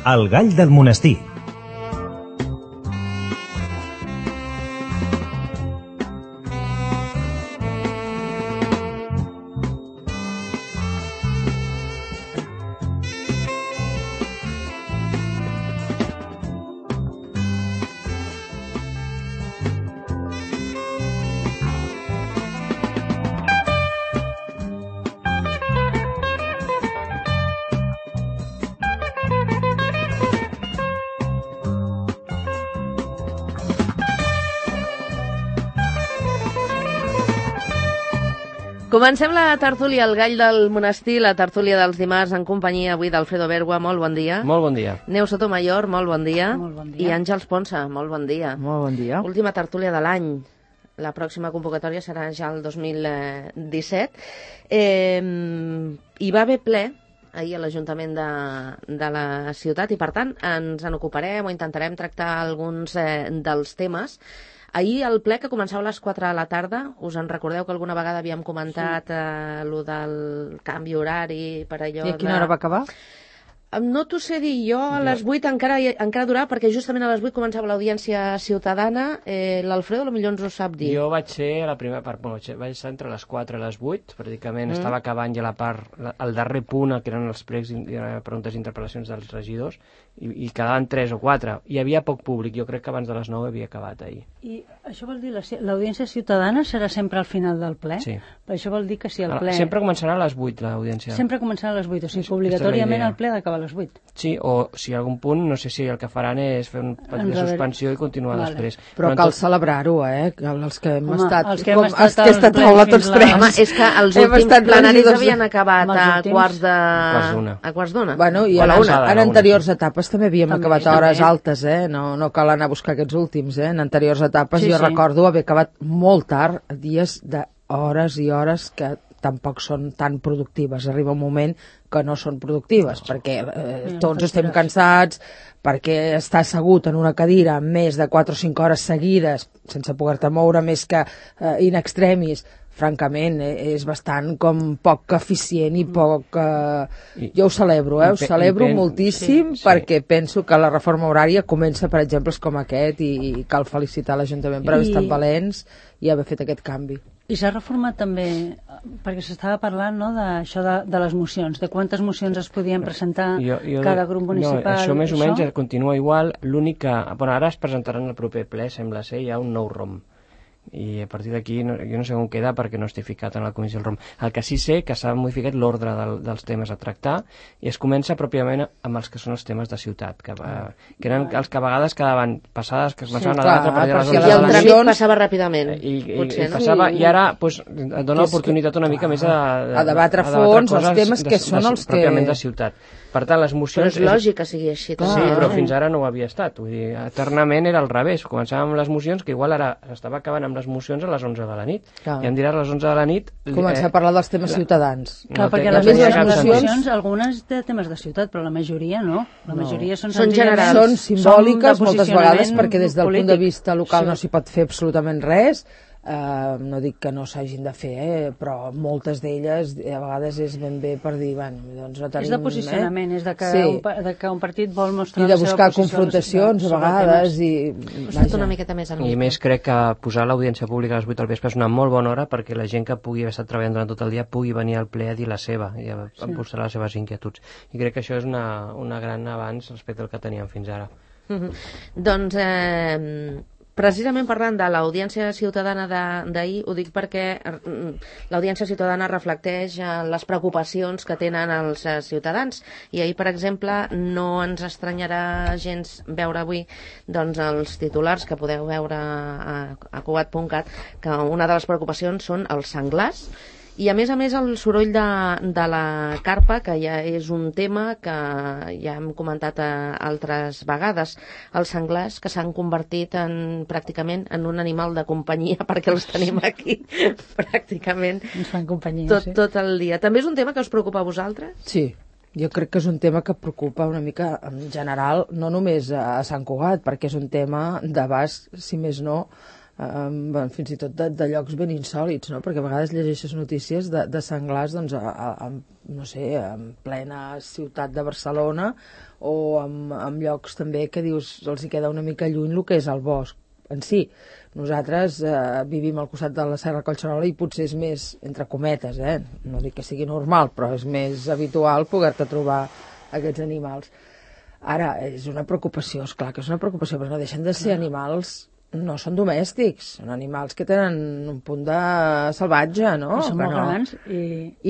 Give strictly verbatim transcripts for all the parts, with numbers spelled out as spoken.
El gall del monestir. Comencem la tertúlia El gall del monestir, la tertúlia dels dimarts en companyia avui d'Alfredo Bergua, molt bon dia. Molt bon dia. Neus Sotomayor, molt bon dia. Molt bon dia. I Àngels Ponsa, molt bon dia. Molt bon dia. Última tertúlia de l'any. La pròxima convocatòria serà ja el dos mil disset. Eh, hi va haver ple ahir a l'Ajuntament de, de la ciutat i, per tant, ens en ocuparem o intentarem tractar alguns eh, dels temes. Ahir el ple, que començava a les quatre de la tarda, us en recordeu que alguna vegada havíem comentat sí. eh, lo del canvi horari per allò I a quina de... hora va acabar? No t'ho sé dir, jo a les vuit encara, encara durava, perquè justament a les vuit començava l'audiència ciutadana. Eh, L'Alfredo potser ens ho sap dir. Jo vaig ser a la primera part, bueno, vaig estar entre les quatre i les vuit, pràcticament mm. estava acabant ja la part, la, el darrer punt, que eren els pregs, preguntes i interpel·lacions dels regidors, i, i quedaven tres o quatre. Hi havia poc públic, jo crec que abans de les nou havia acabat ahir. I això vol dir, l'audiència ciutadana serà sempre al final del ple? Sí. Per això vol dir que si el ple... Sempre començarà a les vuit, l'audiència. Sempre començarà a les vuit, o sigui, obligatòriament el ple ha d'acabar a les vuit. Sí, o si hi ha algun punt, no sé si el que faran és fer un petit de suspensió i continuar vale. després. Però, Però cal tot... celebrar-ho, eh? Els que hem Home, estat... Els que hem estat, com, aquesta taula tots tres. Home, és que els últims plenaris havien acabat a quarts de... A quarts d'una. Bueno, i en, en anteriors etapes també havíem també, acabat a hores també. altes, eh? No, no cal anar a buscar aquests últims, eh? En anteriors etapes sí, jo sí. recordo haver acabat molt tard, dies d'hores i hores que tampoc són tan productives. Arriba un moment que no són productives, perquè eh, tots estem cansats, perquè estar assegut en una cadira més de quatre o cinc hores seguides, sense poder-te moure més que eh, in extremis, francament, eh, és bastant com poc eficient i poc... Eh, jo ho celebro, eh? Ho celebro moltíssim, sí, sí. perquè penso que la reforma horària comença per exemples com aquest i, i cal felicitar l'Ajuntament per haver estat valents i haver fet aquest canvi. I s'ha reformat també, perquè s'estava parlant no, d'això de, de les mocions, de quantes mocions es podien presentar jo, jo, cada grup municipal. No, això més o menys això? continua igual, l'únic que... Bueno, ara es presentaran el proper ple, sembla ser, hi ha un nou ROM. I a partir d'aquí no, jo no sé on queda perquè no estic ficat en la comissió del ROM. El que sí sé que s'ha modificat l'ordre del, dels temes a tractar i es comença pròpiament amb els que són els temes de ciutat, que, va, que eren els que a vegades quedaven passades, que es començaven sí, a debatre per allà les I el tràmit passava ràpidament. I, i, potser, i, passava, no? I ara pues, et dona l'oportunitat una mica més a, a, a debatre a fons els temes que són els que... pròpiament de ciutat. Per tant, les mocions... Però és lògic que sigui així. Sí, però fins ara no ho havia estat. Vull dir, eternament era al revés. Començàvem amb les mocions, que igual ara estava acabant amb les mocions a les onze de la nit. Clar. I em diràs a les onze de la nit... Començar eh, a parlar dels temes la... ciutadans. Clar, no, perquè les, les, les mocions, algunes de temes de ciutat, però la majoria no. La majoria no. són, són generals. Són simbòliques moltes vegades perquè des del polític. punt de vista local sí. no s'hi pot fer absolutament res. Uh, no dic que no s'hagin de fer, eh, però moltes d'elles a vegades és ben bé per dir, bueno, doncs no tenim... És de posicionament, eh? és de que, sí. un, de que un partit vol mostrar I de buscar confrontacions a vegades i... una miqueta més I més crec que posar l'audiència pública a les vuit al vespre és una molt bona hora perquè la gent que pugui haver estat treballant durant tot el dia pugui venir al ple a dir la seva i a sí. mostrar les seves inquietuds. I crec que això és una, una gran avanç respecte al que teníem fins ara. Mm-hmm. Doncs... Eh... Precisament parlant de l'audiència ciutadana d'ahir, ho dic perquè l'audiència ciutadana reflecteix les preocupacions que tenen els ciutadans. I ahir, per exemple, no ens estranyarà gens veure avui doncs, els titulars que podeu veure a, a cugat punt cat, que una de les preocupacions són els senglars. I a més a més el soroll de, de la carpa, que ja és un tema que ja hem comentat a altres vegades, els senglars que s'han convertit en, pràcticament en un animal de companyia perquè els tenim aquí pràcticament ens fan companyia, tot, sí. tot el dia. També és un tema que us preocupa a vosaltres? Sí, jo crec que és un tema que preocupa una mica en general, no només a Sant Cugat, perquè és un tema d'abast, si més no, Um, bueno, fins i tot de, de llocs ben insòlits, no? Perquè a vegades llegeixes notícies de, de senglars doncs, a, a, a, no sé, en plena ciutat de Barcelona o en, en llocs també que dius els hi queda una mica lluny el que és el bosc en si. Nosaltres eh, vivim al costat de la Serra Collserola i potser és més, entre cometes, eh? No dic que sigui normal, però és més habitual poder-te trobar aquests animals. Ara, és una preocupació, és clar que és una preocupació, però no deixen de ser animals. No són domèstics, són animals que tenen un punt de salvatge, no? I són molt no. grans. I...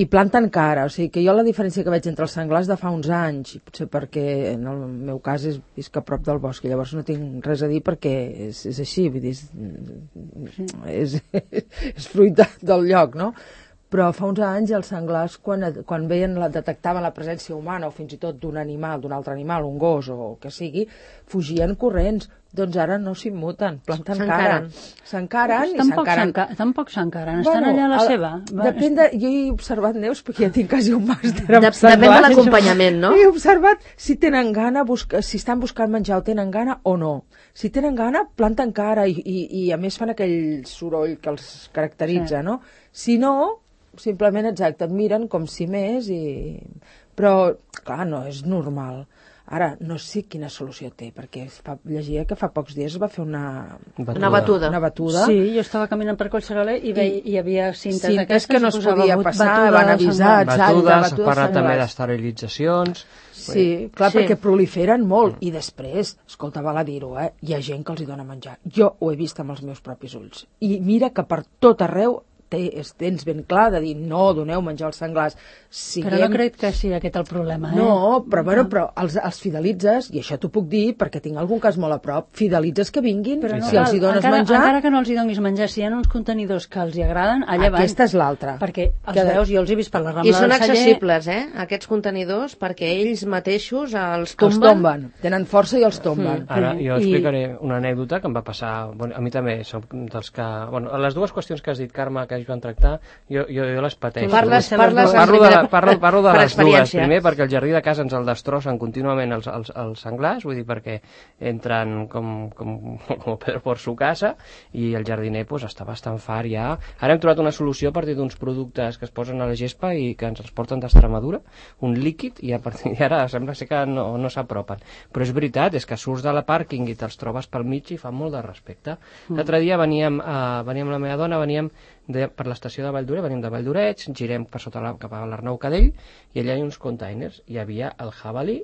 I planten cara, o sigui que jo la diferència que veig entre els senglars de fa uns anys, potser perquè en el meu cas és visc a prop del bosc, i llavors no tinc res a dir perquè és, és així, vull dir, és, és, és fruit del lloc, no? Però fa uns anys els senglars, quan, quan veien la, detectaven la presència humana o fins i tot d'un animal, d'un altre animal, un gos o que sigui, fugien corrents. Doncs ara no s'immuten, planten cara. S'encaren i s'encaren. Tampoc s'encaren, estan allà a la seva. Depèn de... Jo he observat, Neus, perquè ja tinc quasi un màster en senglars. Depèn de l'acompanyament, no? He observat si tenen gana, si estan buscant menjar o tenen gana o no. Si tenen gana, planten cara i, i, i a més fan aquell soroll que els caracteritza, no? Si no, simplement, exacte, et miren com si més i... Però, clar, no és normal. Ara, no sé quina solució té, perquè fa, llegia que fa pocs dies es va fer una batuda. Una batuda. Una batuda. Sí, jo estava caminant per Collserola i, ve, i hi havia cintes, cintes d'aquestes que no es podia passar, van avisar. Batudes, s'ha parlat també d'esterilitzacions. Sí, clar, sí. Perquè proliferen molt. I després, escolta, val a dir-ho, eh? Hi ha gent que els hi dona menjar. Jo ho he vist amb els meus propis ulls. I mira que per tot arreu tens ben clar de dir no, doneu menjar als senglars. Siguem... Però no crec que sigui aquest el problema, eh? No, però, bueno, però els, els fidelitzes, i això t'ho puc dir perquè tinc algun cas molt a prop, fidelitzes que vinguin, però no, si els hi dones encara, menjar... Encara que no els hi donis menjar, si hi ha uns contenidors que els hi agraden, allà van. Aquesta és l'altra. Perquè els que... veus, jo els he vist per la Rambla del Celler... I són accessibles, eh, aquests contenidors, perquè ells mateixos els tomben. Els tomben, tenen força i els tomben. Mm. Ara, jo explicaré I... una anècdota que em va passar... Bueno, a mi també som dels que... Bueno, les dues qüestions que has dit, Carme, que ells van tractar, Jo, jo, jo les pateixo. Parles, parles parlo, de, la, parlo, parlo de les dues. Primer, perquè el jardí de casa ens el destrossen contínuament els, els, els senglars, vull dir, perquè entren com, com, com Pedro por su casa, i el jardiner pues, està bastant fart ja. Ara hem trobat una solució a partir d'uns productes que es posen a la gespa i que ens els porten d'Extremadura, un líquid, i a partir d'ara sembla ser que no, no s'apropen. Però és veritat, és que surts de la pàrquing i te'ls trobes pel mig i fa molt de respecte. Mm. L'altre dia veníem, uh, veníem la meva dona, veníem de, per l'estació de Valldoreix, venim de Valldoreix, girem per sota la, cap a l'Arnau Cadell, i allà hi ha uns containers, hi havia el jabalí,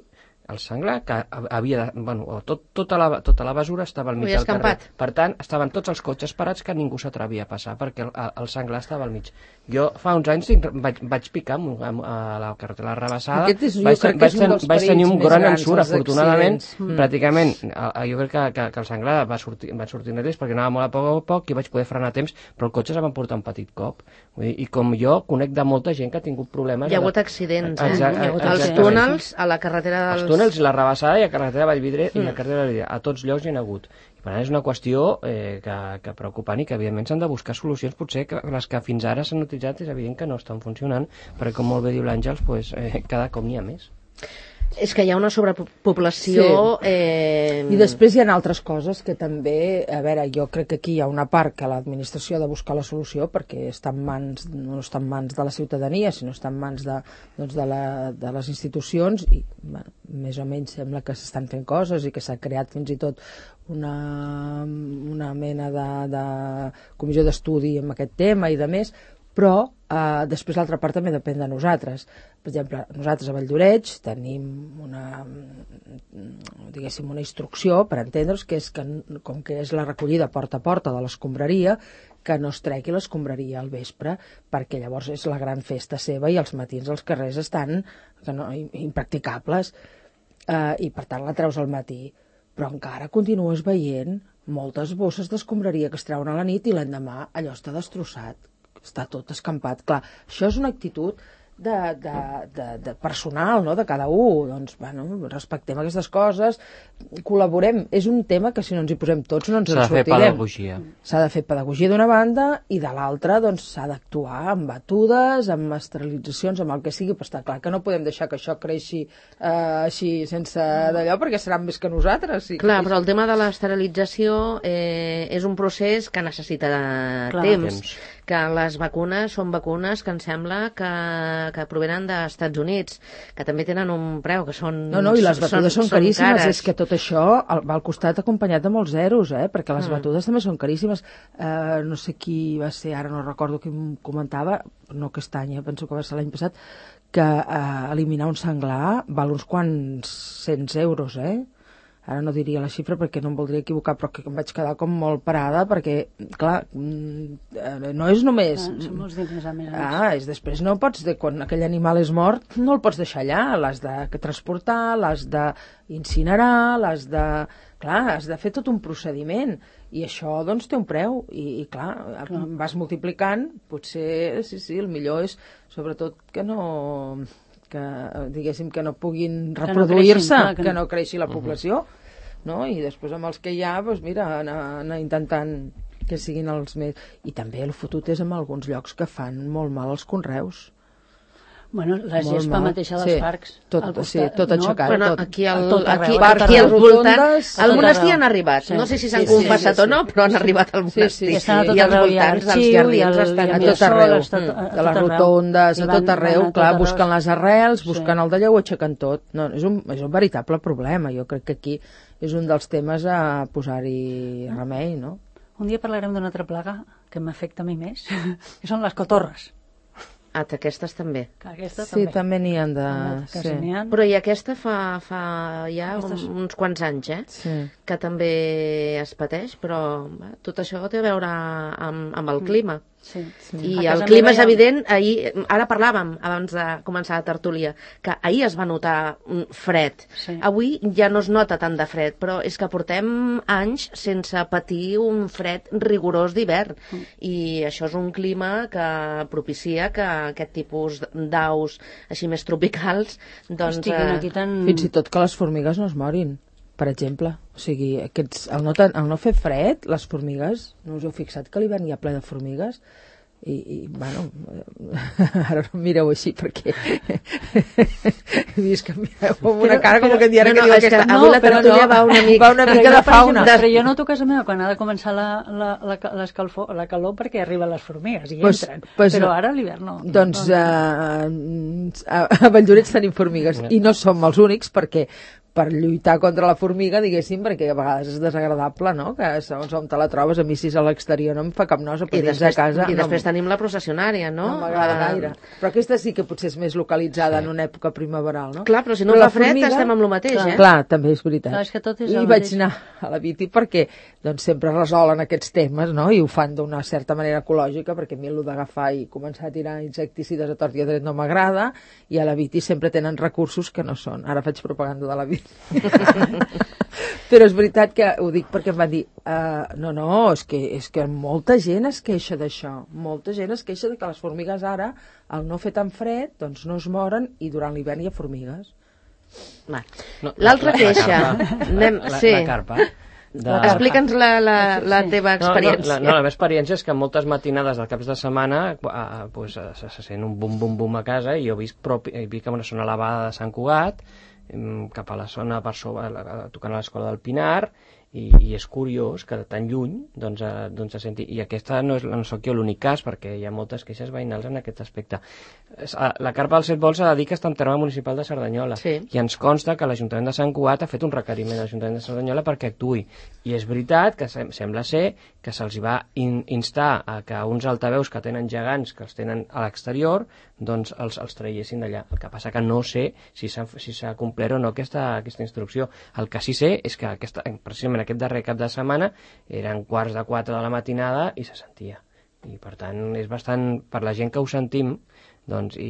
el senglar, que havia de, bueno, tot, tota, la, tota la basura estava al mig del carrer. Per tant, estaven tots els cotxes parats que ningú s'atrevia a passar, perquè el, el senglar estava al mig. Jo fa uns anys vaig, vaig picar a la carretera Rabassada, és, vaig, vaig, ten, vaig tenir un gran ensurt, afortunadament, mm. pràcticament, jo crec que, que, que el senglar va sortir, va sortir nervis perquè anava molt a poc a poc i vaig poder frenar a temps, però el cotxe se va portar un petit cop. Vull dir, i com jo, conec de molta gent que ha tingut problemes... Hi ha hagut accidents, eh? Hi ha hagut els túnels a la carretera dels... Els túnels, la Rabassada i a carretera de Vallvidré mm. i a carretera de Vallvidré. A tots llocs hi ha hagut. I per tant és una qüestió eh, que, que preocupant i que evidentment s'han de buscar solucions, potser que les que fins ara s'han utilitzat és evident que no estan funcionant, perquè com molt bé diu l'Àngels, pues, eh, cada cop n'hi ha més. És que hi ha una sobrepoblació... Sí. Eh... I després hi ha altres coses que també... A veure, jo crec que aquí hi ha una part que l'administració ha de buscar la solució perquè està en mans, no està en mans de la ciutadania, sinó està en mans de, doncs de, la, de les institucions i bueno, més o menys sembla que s'estan fent coses i que s'ha creat fins i tot una, una mena de, de comissió d'estudi en aquest tema i de més, però eh, després l'altra part també depèn de nosaltres. Per exemple, nosaltres a Valldoreix tenim una, diguéssim, una instrucció per entendre's, que és que, com que és la recollida porta a porta de l'escombraria, que no es tregui l'escombraria al vespre, perquè llavors és la gran festa seva i els matins els carrers estan que no, impracticables, eh, i per tant la treus al matí. Però encara continues veient moltes bosses d'escombraria que es treuen a la nit i l'endemà allò està destrossat, està tot escampat. Clar, això és una actitud de, de, de, de personal, no?, de cada un. Doncs, bueno, respectem aquestes coses, col·laborem. És un tema que si no ens hi posem tots no ens en sortirem. S'ha de fer pedagogia. S'ha de fer pedagogia d'una banda i de l'altra doncs s'ha d'actuar amb batudes, amb esterilitzacions, amb el que sigui, però està clar que no podem deixar que això creixi eh, així sense d'allò, perquè seran més que nosaltres. Sí. Clar, però el tema de l'esterilització eh, és un procés que necessita de clar, temps. temps. Que les vacunes són vacunes que em sembla que, que provenen dels Estats Units, que també tenen un preu, que són No, no, i les batudes són, són, són caríssimes, cares. És que tot això va al costat acompanyat de molts zeros, eh? Perquè les mm. batudes també són caríssimes. Eh, no sé qui va ser, ara no recordo qui em comentava, no aquest any, eh? Penso que va ser l'any passat, que eh, eliminar un senglar val uns quants cents euros, eh? Ara no diria la xifra perquè no em voldria equivocar, però que em vaig quedar com molt parada perquè, clar, no és només... Ah, són molts diners, a més. Ah, és després no pots, de, quan aquell animal és mort, no el pots deixar allà, l'has de transportar, l'has d'incinerar, l'has de... Clar, has de fer tot un procediment, i això, doncs, té un preu, i, i clar, clar, vas multiplicant, potser, sí, sí, el millor és, sobretot, que no... que, diguéssim, que no puguin reproduir-se, que, no que, que no creixi la població, no? I després amb els que hi ha, doncs mira, anar, anar intentant que siguin els més... I també el fotut és en alguns llocs que fan molt mal als conreus. Bueno, la gespa mateixa dels sí, parcs. Tot, costat, sí, tot aixecat. No? Bueno, tot, aquí al, tot aquí, arreu, aquí al voltant, al monestir arreu. Han arribat. Sí. No sé si s'han Sí, sí, confessat sí, sí. o no, però han arribat al monestir. Sí, sí, I, sí. I als voltants dels jardins estan a a tot arreu, tot, de les rotondes, a tot arreu, clar, busquen les arrels, busquen sí. el d'allò, ho aixequen tot. No, és, un, és un veritable problema. Jo crec que aquí és un dels temes a posar-hi remei, no? Un dia parlarem d'una altra plaga que m'afecta a mi més, que són les cotorres. Ah, aquestes també. Que aquesta Sí, també. també n'hi han de... Que Sí. n'hi ha. Però i aquesta fa, fa ja Aquestes- un, uns quants anys, eh? Sí. Que també es pateix, però bé, tot això té a veure amb, amb el clima. Sí. I A el casa clima meva és hi ha- evident, ahir, ara parlàvem abans de començar la tertúlia, que ahir es va notar un fred. Sí. Avui ja no es nota tant de fred, però és que portem anys sense patir un fred rigorós d'hivern. Mm. I això és un clima que propicia que aquest tipus d'aus així més tropicals doncs, Estiguin eh, aquí tan... Fins i tot que les formigues no es morin, per exemple. O sigui, aquests, el, no, ten- el no fer fred, les formigues, no us heu fixat que l'hivern hi ha ple de formigues? I, i bueno, ara no em mireu així perquè he vist que em mireu amb una cara com que em diuen no, que no, diu és que aquesta... avui la tertúlia va una mica- va una mica de fauna. Però jo noto a casa meva quan ha de començar la, la, la, l'escalfor, la calor perquè arriben les formigues i Pues- entren. pues però no. ara a l'hivern no. Doncs no, no. eh, a, a Valldorets tenim formigues i no som els únics perquè per lluitar contra la formiga, diguéssim, perquè a vegades és desagradable, no? Que segons on te la trobes, a mi si és a l'exterior no em fa cap nosa, però I dins després, de casa i no, després tenim la processionària, no? no m'agrada Eh, gaire. Però aquesta sí que potser és més localitzada en una època primaveral, no? Clar, però si no Però fa la fred formiga- estem amb el mateix, clar, eh? Clar, també és veritat. Clar, és que tot és I el vaig mateix. anar a la Viti perquè doncs, sempre resolen aquests temes, no? I ho fan d'una certa manera ecològica, perquè a mi el d'agafar i començar a tirar insecticides a tort i a dret no m'agrada, i a la Viti sempre tenen recursos que no són. Ara faig propaganda de la Viti. Però és veritat que ho dic perquè em van dir uh, no, no, és que, és que molta gent es queixa d'això, molta gent es queixa de que les formigues ara, al no fer tan fred, doncs no es moren i durant l'hivern hi ha formigues. Va. No, L'altra la- la queixa. carpa. Anem, La, sí. la carpa. De... Explica'ns la, la, la teva No, no, experiència. la, no, la meva experiència és que moltes matinades del caps de setmana eh, pues, se, se sent un bum-bum-bum a casa i jo he vist, propi, he vist que una zona elevada de Sant Cugat em, cap a la zona per sobre, la- tocant a l'escola del Pinar, i, i és curiós que de tan lluny doncs, eh, doncs se senti, i aquesta no, és, no sóc jo l'únic cas perquè hi ha moltes queixes veïnals en aquest aspecte. Es- a- la carpa dels set vols s'ha de dir que està en terme municipal de Cerdanyola, Sí. i ens consta que l'Ajuntament de Sant Cugat ha fet un requeriment a l'Ajuntament de Cerdanyola perquè actuï, i és veritat que sem sembla ser que se'ls va in instar a que uns altaveus que tenen gegants, que els tenen a l'exterior, doncs els, els traiessin d'allà. El que passa que no sé si s'ha si s'ha complert o no aquesta, aquesta instrucció. El que sí sé és que aquesta, precisament aquest darrer cap de setmana eren quarts de quatre de la matinada i se sentia. I per tant és bastant, per la gent que ho sentim, doncs, i,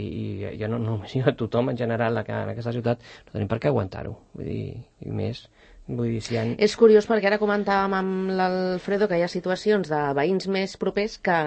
i jo no, no només jo, tothom en general que en aquesta ciutat no tenim per què aguantar-ho. Vull dir, i més Vull dir, si han... És curiós perquè ara comentàvem amb l'Alfredo que hi ha situacions de veïns més propers que,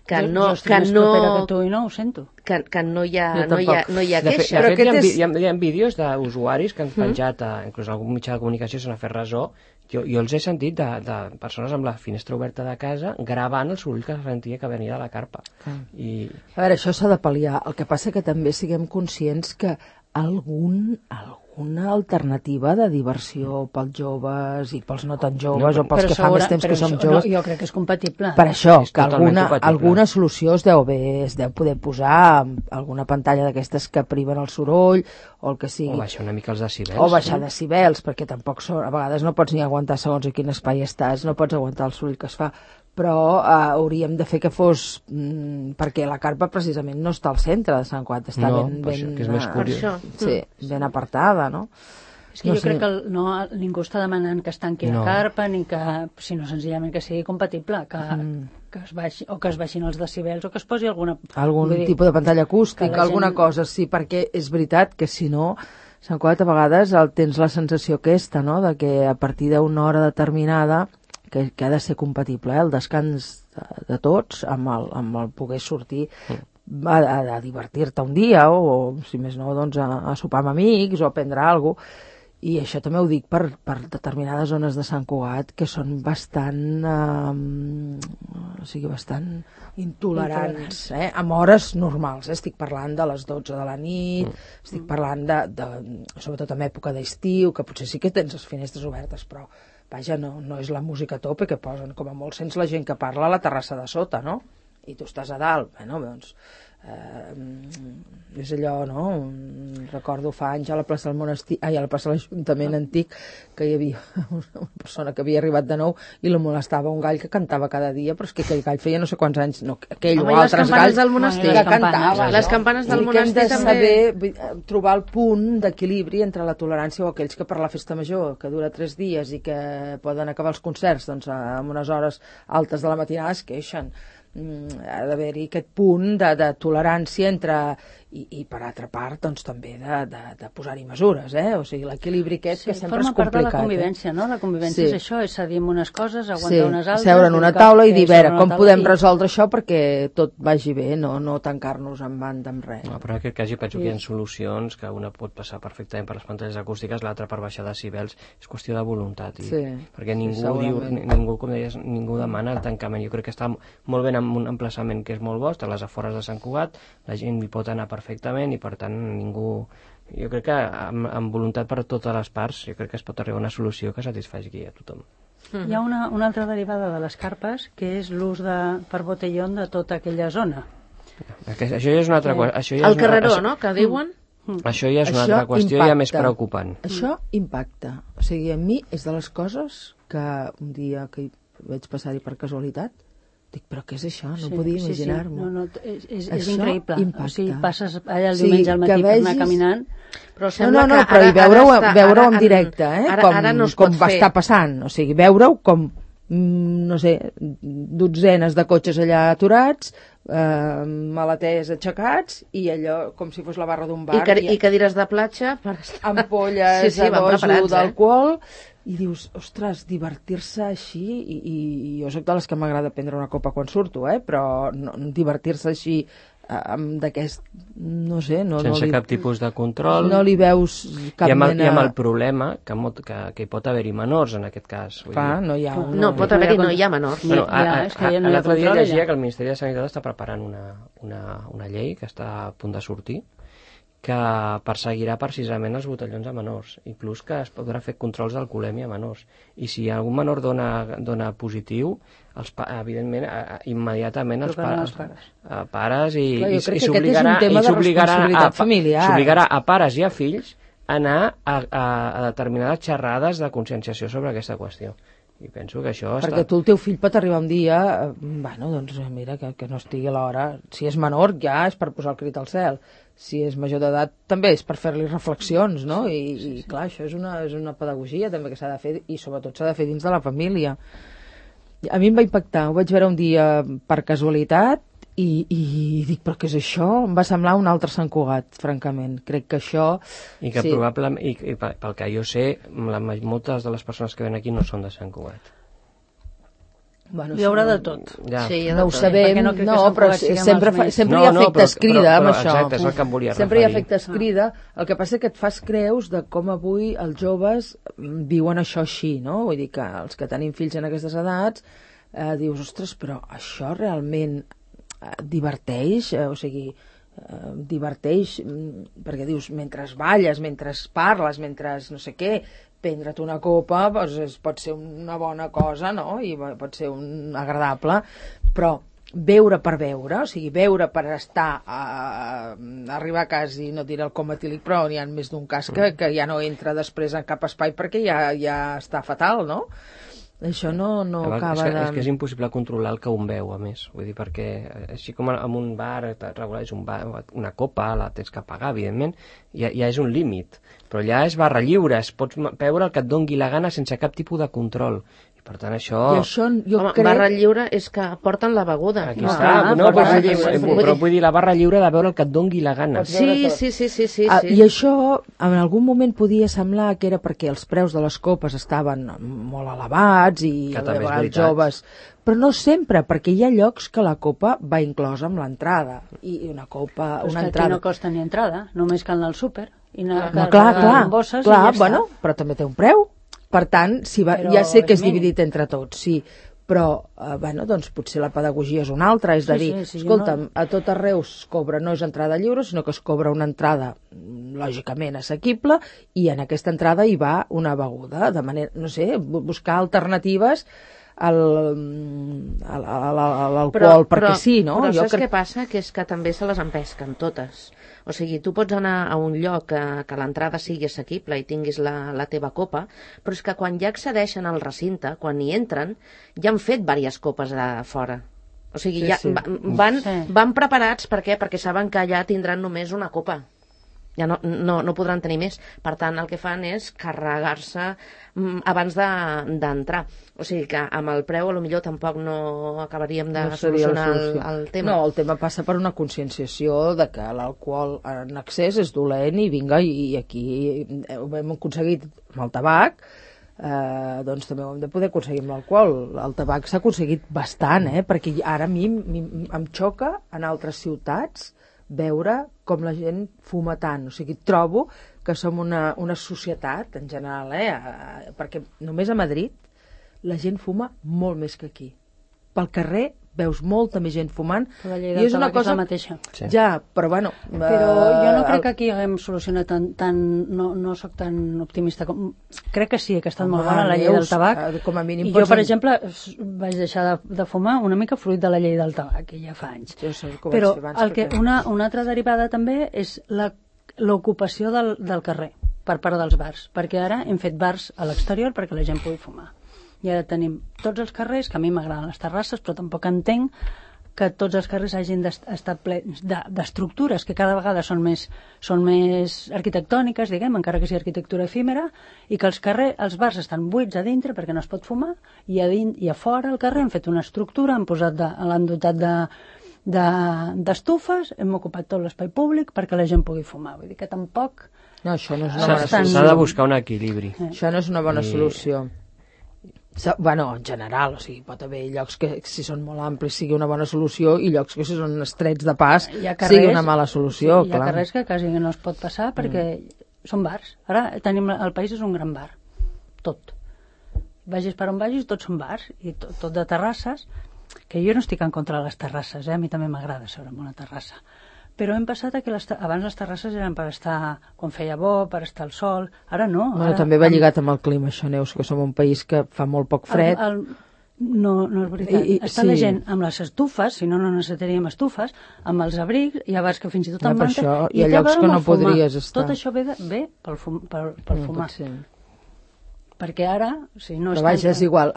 que jo, no... Jo estic que més no, propera que tu i no ho sento. Que, que no hi ha, no hi ha, no hi ha de queixa. Fe, de fet, hi ha, és... hi, ha, hi ha vídeos d'usuaris que han penjat, a, inclús algun mitjà de comunicació se n'ha fet ressò. Jo, jo els he sentit de, de persones amb la finestra oberta de casa gravant el soroll que sentia que venia de la carpa. Ah. I... A veure, això s'ha de pal·liar. El que passa que també siguem conscients que algun, alguna alternativa de diversió pels joves i pels no tan joves no, o pels que fa més temps que som això, joves... No, jo crec que és compatible. Per això, és que alguna, compatible. alguna solució es deu, bé, es deu poder posar alguna pantalla d'aquestes que priven el soroll o el que sigui. O baixar una mica els decibels. O baixar sí. decibels, perquè tampoc són, a vegades no pots ni aguantar segons a quin espai estàs, no pots aguantar el soroll que es fa. Però eh, hauríem de fer que fos... Mm, perquè la carpa precisament no està al centre de Sant Cugat, està no, ben, ben, això, que és més curiós. Sí, ben apartada, no? És que no jo sé. crec que el, no, ningú està demanant que es tanqui no. la carpa, ni que, sinó senzillament que sigui compatible, que, mm. que es baixi, o que es baixin els decibels, o que es posi alguna... Algun dir, tipus de pantalla acústica, alguna gent... cosa, sí, perquè és veritat que si no... Sant Cugat a vegades el, tens la sensació aquesta, no?, de que a partir d'una hora determinada que, que ha de ser compatible, eh, el descans de, de tots amb el, amb el poder sortir mm. a, a, a divertir-te un dia o, o si més no, doncs a, a sopar amb amics o a prendre alguna cosa. I això també ho dic per, per determinades zones de Sant Cugat que són bastant eh, o sigui, bastant intolerants, eh? Amb hores normals, eh? Estic parlant de les dotze de la nit, mm. estic parlant de, de, sobretot en època d'estiu, que potser sí que tens les finestres obertes, però vaja, no, no és la música a tope que posen, com a molt sents la gent que parla a la terrassa de sota, no? I tu estàs a dalt, bueno, doncs eh, és allò, no? Recordo fa anys a la plaça del monestir, ai, a la plaça de l'Ajuntament antic, que hi havia una persona que havia arribat de nou i la molestava un gall que cantava cada dia, però és que aquell gall feia no sé quants anys, no, aquell Home, o altres galls del monestir, que cantava. Les campanes del I monestir que hem de també... saber trobar el punt d'equilibri entre la tolerància o aquells que per la festa major, que dura tres dies i que poden acabar els concerts doncs, amb unes hores altes de la matinada es queixen. Ha d'haver-hi aquest punt de, de tolerància entre i, i per altra part doncs també de, de, de posar-hi mesures, eh? O sigui, l'equilibri aquest sí, que sempre és complicat. Forma part de la convivència, eh? No? La convivència sí. és això, és cedir unes coses, aguantar sí. unes altres... seure en una taula i dir, a veure, com podem i... resoldre això perquè tot vagi bé, no, no tancar-nos en banda amb res. No, però en aquest cas jo penso sí. que hi ha solucions que una pot passar perfectament per les pantalles acústiques, l'altra per baixar decibels, és qüestió de voluntat. I, sí. Perquè ningú, sí, diu, ningú, com deies, ningú demana el tancament. Jo crec que està molt bé en un emplaçament que és molt bo, està a les afores de Sant Cugat, la gent hi pot anar perfectament i per tant ningú... Jo crec que amb, amb voluntat per totes les parts jo crec que es pot arribar a una solució que satisfaci a tothom. Mm-hmm. Hi ha una, una altra derivada de les carpes que és l'ús de, per botellón de tota aquella zona. Aquest, això ja és una altra sí. qüestió. El carreró, això, no?, que diuen... Mm. Això ja és una això altra qüestió impacta. Ja més preocupant. Això impacta. O sigui, a mi és de les coses que un dia que vaig passar-hi per casualitat dic, però què és això? No sí, podia imaginar-m'ho. Sí, sí. No, no, és, és, és increïble. Impacta. O sigui, passes allà el diumenge sí, al matí vegis... per anar caminant... Però no, no, no, però i veure-ho veure en directe, eh? Ara, com, ara no es com pot va fer. estar passant. O sigui, veure-ho com, no sé, dotzenes de cotxes allà aturats, eh, maleters aixecats, i allò com si fos la barra d'un bar. I, car i cadires de platja. Per... Ampolles sí, sí, a dojo d'alcohol... Eh? I dius, ostres, divertir-se així, i, i, i jo soc de les que m'agrada prendre una copa quan surto, eh? Però no, divertir-se així amb d'aquest, no sé... No, sense no li, cap tipus de control. No li veus cap I amb el, mena... I amb el problema que, que, que hi pot haver-hi menors, en aquest cas. Clar, no hi ha... Un... No, pot haver-hi, no hi ha menors. Bueno, a, a, a, a, l'altre dia llegia ja. que el Ministeri de Sanitat està preparant una, una, una llei que està a punt de sortir, que perseguirà precisament els botellons a menors, inclús que es podrà fer controls d'alcoholèmia a menors. I si algun menor dona, dona positiu, els, evidentment, immediatament els, pa, els pares, a pares i, Clar, i, i s'obligarà a, s'obligarà a pares i a fills a anar a, a, a determinades xerrades de conscienciació sobre aquesta qüestió. I penso que això perquè està... tu el teu fill pot arribar un dia, bueno, doncs mira, que, que no estigui a l'hora. Si és menor ja és per posar el crit al cel. Si és major d'edat també és per fer-li reflexions, no? I, sí, sí, sí. I clar, això és una, és una pedagogia també que s'ha de fer, i sobretot s'ha de fer dins de la família. A mi em va impactar, ho vaig veure un dia per casualitat I, i dic, però què és això? Em va semblar un altre Sant Cugat, francament. Crec que això... I que sí. probablement, i, i pel que jo sé, la, moltes de les persones que ven aquí no són de Sant Cugat. Bueno, hi haurà de tot. Ja. Sí, no ho sabem, no, no però sempre, fa, sempre no, hi ha efectes no, crida però, però, amb això. Exacte, és el que em volia sempre referir. Hi ha efectes crida, el que passa és que et fas creus de com avui els joves viuen això així, no? Vull dir que els que tenim fills en aquestes edats, eh, dius, ostres, però això realment eh, diverteix, eh, o sigui, eh, diverteix, perquè dius, mentre balles, mentre parles, mentre no sé què, prendre't una copa doncs, pot ser una bona cosa, no? I pot ser un agradable, però beure per beure, o sigui, beure per estar a, a arribar a casa i no diré el coma etílic, però n'hi ha més d'un cas que, que ja no entra després en cap espai perquè ja, ja està fatal, no? Això no, no Llavors, acaba és que, de... És que és impossible controlar el que un veu, a més. Vull dir, perquè així com en un bar regular és un bar, una copa, la tens que pagar, evidentment, ja, ja és un límit. Però allà és barra lliure, es pots beure el que et dongui la gana sense cap tipus de control. I per tant això... I això jo Home, crec... barra lliure és que porten la beguda. Aquí no, està, ah, no, però, barra lliure. Però vull dir la barra lliure de veure el que et dongui la gana. Sí, sí, sí, sí, sí, ah, sí. I això en algun moment podia semblar que era perquè els preus de les copes estaven molt elevats i que de vegades joves, però no sempre, perquè hi ha llocs que la copa va inclosa amb l'entrada i una copa, però una entrada. Aquí no costa ni entrada, només cal anar al súper i anar no, clar, clar, bosses clar, i ja bueno, està. Però també té un preu. Per tant, si va, ja sé que és dividit entre tots, sí, però eh, bueno, doncs potser la pedagogia és una altra, és de sí, dir, sí, sí, escolta'm, no... a tot arreu es cobra, no és entrada lliure, sinó que es cobra una entrada lògicament assequible i en aquesta entrada hi va una beguda, de manera, no sé, buscar alternatives al, al, al, a l'alcohol, perquè però, sí, no? Però jo saps crec... què passa? Que és que també se les empesquen totes. O sigui, tu pots anar a un lloc que, que l'entrada sigui assequible i tinguis la, la teva copa, però és que quan ja accedeixen al recinte, quan hi entren, ja han fet diverses copes de fora. O sigui, sí, ja sí. van, sí. van preparats, per què? Perquè saben que allà tindran només una copa. Ja no, no, no podran tenir més. Per tant, el que fan és carregar-se abans d'entrar. De, o sigui que amb el preu potser tampoc no acabaríem de no solucionar el, el tema. No, el tema passa per una conscienciació de que l'alcohol en excés és dolent i vinga, i aquí ho hem aconseguit amb el tabac, eh, doncs també ho hem de poder aconseguir amb l'alcohol. El tabac s'ha aconseguit bastant, eh, perquè ara a mi, mi em xoca en altres ciutats veure com la gent fuma tant. O sigui, trobo que som una, una societat, en general, eh, perquè només a Madrid la gent fuma molt més que aquí. Pel carrer veus molta més gent fumant. Però la llei del tabac és la mateixa. Sí. Ja, però bueno... Però jo no crec que aquí haguem solucionat tant, tant no, no sóc tan optimista com... Crec que sí, que ha estat molt bona la llei del tabac. Com a mínim I jo, per exemple, vaig deixar de, de fumar una mica fruit de la llei del tabac, que ja fa anys. Jo sé com però abans, el que, una, una altra derivada també és l'ocupació del, del carrer per part dels bars, perquè ara hem fet bars a l'exterior perquè la gent pugui fumar. I ara tenim tots els carrers, que a mi m'agraden les terrasses, però tampoc entenc que tots els carrers hagin d'estar plens d'estructures que cada vegada són més, són més arquitectòniques, diguem, encara que sigui arquitectura efímera, i que els, carrer, els bars estan buits a dintre perquè no es pot fumar, i a, din, i a fora al carrer han fet una estructura, han posat de, l'han dotat de d'estufes, de, hem ocupat tot l'espai públic perquè la gent pugui fumar. Vull dir que tampoc... No, això no és una bona solució. S'ha de buscar un equilibri. Eh. Això no és una bona I... solució. Bueno, en general, o sigui, pot haver llocs que si són molt amplis sigui una bona solució i llocs que si són estrets de pas carrers, sigui una mala solució. Sí, hi ha clar. Carrers que quasi no es pot passar perquè mm. són bars. Ara tenim, el país és un gran bar, tot. Vagis per on vagis, tots són bars i tot, tot de terrasses, que jo no estic en contra de les terrasses, eh? A mi també m'agrada seure en una terrassa. Però hem passat a que les, abans les terrasses eren per estar quan feia bo, per estar al sol, ara no. Bueno, ara, també va amb... lligat amb el clima, això, Neus, que som un país que fa molt poc fred. El, el... No, no és veritat. I, i, Està sí. la gent amb les estufes, si no, no necessitaríem estufes, amb els abrics, hi ha bars que fins i tot no, amb manta, això, i hi ha llocs que no podries estar. Tot això ve, de, ve pel, fum, pel, pel no, fumar. Perquè ara, si no... Però vaja, és igual,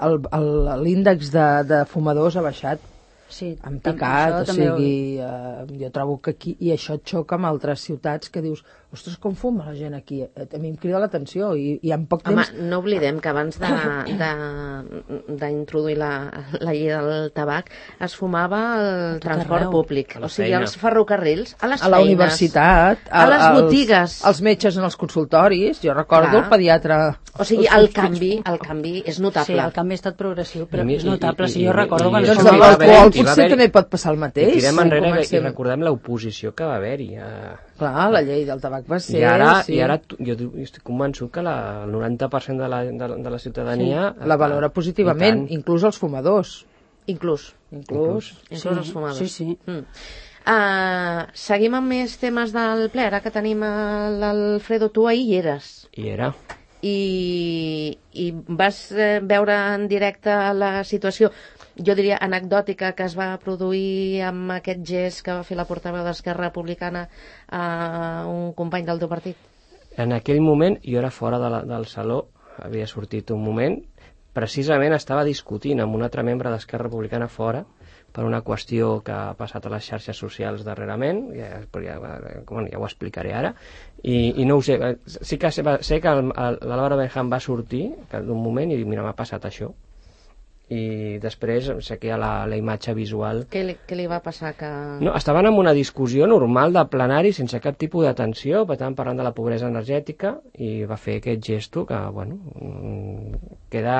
l'índex de, de fumadors ha baixat. Sí, en tam- picat, això o també ho- sigui, eh, jo trobo que aquí, i això et xoca amb altres ciutats que dius, ostres, com fuma la gent aquí? Eh, A mi em crida l'atenció i, i en poc Home, temps... no oblidem que abans de- de- d'introduir la, la llei del tabac es fumava al tot transport arreu. públic, A la o sigui, feina. als ferrocarrils, a les A la feines, universitat, a les als- botigues. als metges en els consultoris, jo recordo Clar. el pediatre... O sigui, els el seus canvi, el canvi és Sí, notable. el canvi ha estat progressiu, però I mi- és notable. i- i- Si jo i- recordo i- quan i- Doncs es amb va fumava... haver- l'alcohol i va potser haver-hi- també pot passar el I mateix. tirem si enrere i comencem- recordem l'oposició que va haver-hi. Eh, Clar, la llei del tabac va ser... I ara, sí. i ara tu- jo tu- estic convençut que la, el noranta per cent de la, de, la- de la ciutadania... La valora positivament, I tant. inclús els fumadors. Inclús. Inclús. Inclús els fumadors. Sí, sí. Mm. Uh, seguim amb més temes del ple, ara que tenim a l'Alfredo, tu ahir hi eres I era. i, i vas eh, veure en directe la situació, jo diria anecdòtica, que es va produir amb aquest gest que va fer la portaveu d'Esquerra Republicana a un company del teu partit. En aquell moment, jo era fora de la, del saló, havia sortit un moment, precisament estava discutint amb un altre membre d'Esquerra Republicana fora per una qüestió que ha passat a les xarxes socials darrerament, ja, ja, bueno, ja ho explicaré ara, i, i no ho sé, sí que sé, sé que el- el- l'Álvaro Benjam va sortir d'un moment i dir, mira, m'ha passat això, i després sé que hi ha la, la imatge visual. Què li, què li va passar? Que... No, estaven en una discussió normal de plenari sense cap tipus d'atenció, per tant parlant de la pobresa energètica, i va fer aquest gesto que, bueno, mm, queda...